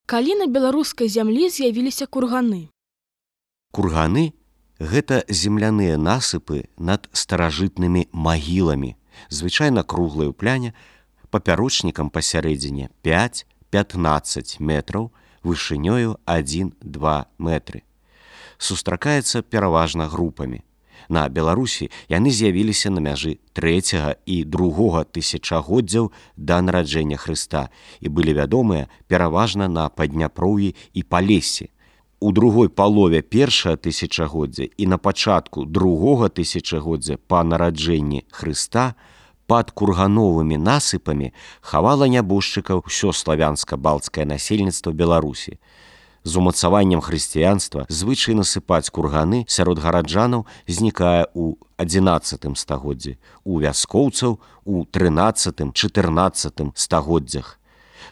Калі на беларускай зямлі з'явіліся курганы? Курганы – гэта земляныя насыпы над старажытнымі магіламі, звычайна круглыя ў пляне, папярочнікам пасярэдзіне 5-15 метраў, вышынёю 1-2 метры. Сустракаецца пераважна групамі. На Беларусі яны з'явіліся на мяжы 3 і 2 тысячагоддзяў да нараджэння Хрыста і былі вядомыя пераважна на Падняпроўі і Палессі. У другой палове першага тысячагоддзя і на пачатку другога тысячагоддзя па нараджэнні Хрыста пад кургановымі насыпамі хавала нябожчыкаў усё славянска-балцкае насельніцтва Беларусі. З умацаваннем хрысціянства звычай насыпаць курганы сярод гараджанаў знікае ў 11 стагоддзі, у вяскоўцаў у 13-14 стагоддзях.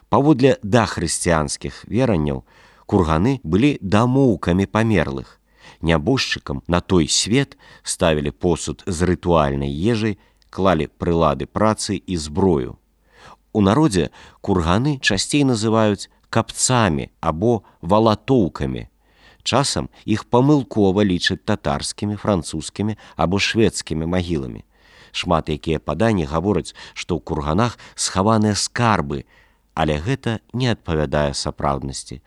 Паводле дахрысціянскіх веранняў, курганы былі дамоўкамі памерлых. Нябожчыкам на той свет ставілі посуд з рытуальнай ежай, клалі прылады працы і зброю. У народзе курганы часцей называюць капцамі або валатоўкамі. Часам іх памылкова лічаць татарскімі, французскімі або шведскімі магіламі. Шмат якія паданні гавораць, што ў курганах схаваныя скарбы, але гэта не адпавядае сапраўднасці.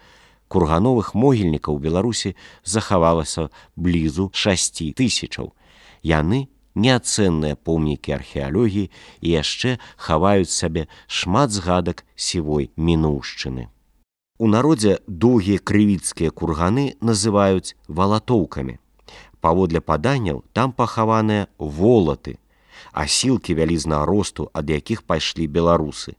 Кургановых могільнікаў у Беларусі захавалася блізу 6 тысячаў. Яны неацэнныя помнікі археалогіі і яшчэ хаваюць сабе шмат згадак сівой мінуўшчыны. У народзе доўгія крывіцкія курганы называюць валатоўкамі. Паводле паданняў там пахаваныя волаты, асілкі вялізнага росту, ад якіх пайшлі беларусы.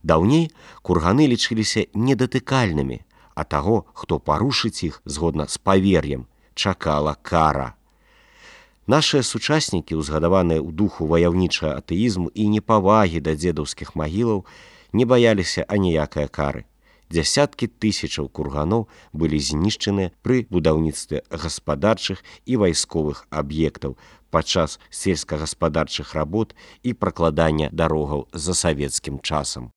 Даўней курганы лічыліся недатыкальнымі, а таго, хто парушыць іх згодна з павер'ем, чакала кара. Нашыя сучаснікі, узгадаваныя ў духу ваяўнічага атэізму і непавагі да дзедаўскіх магілаў, не баяліся аніякай кары. Дзясяткі тысячаў курганоў былі знішчаны пры будаўніцтве гаспадарчых і вайсковых аб'ектаў падчас сельскагаспадарчых работ і пракладання дарогаў за савецкім часам.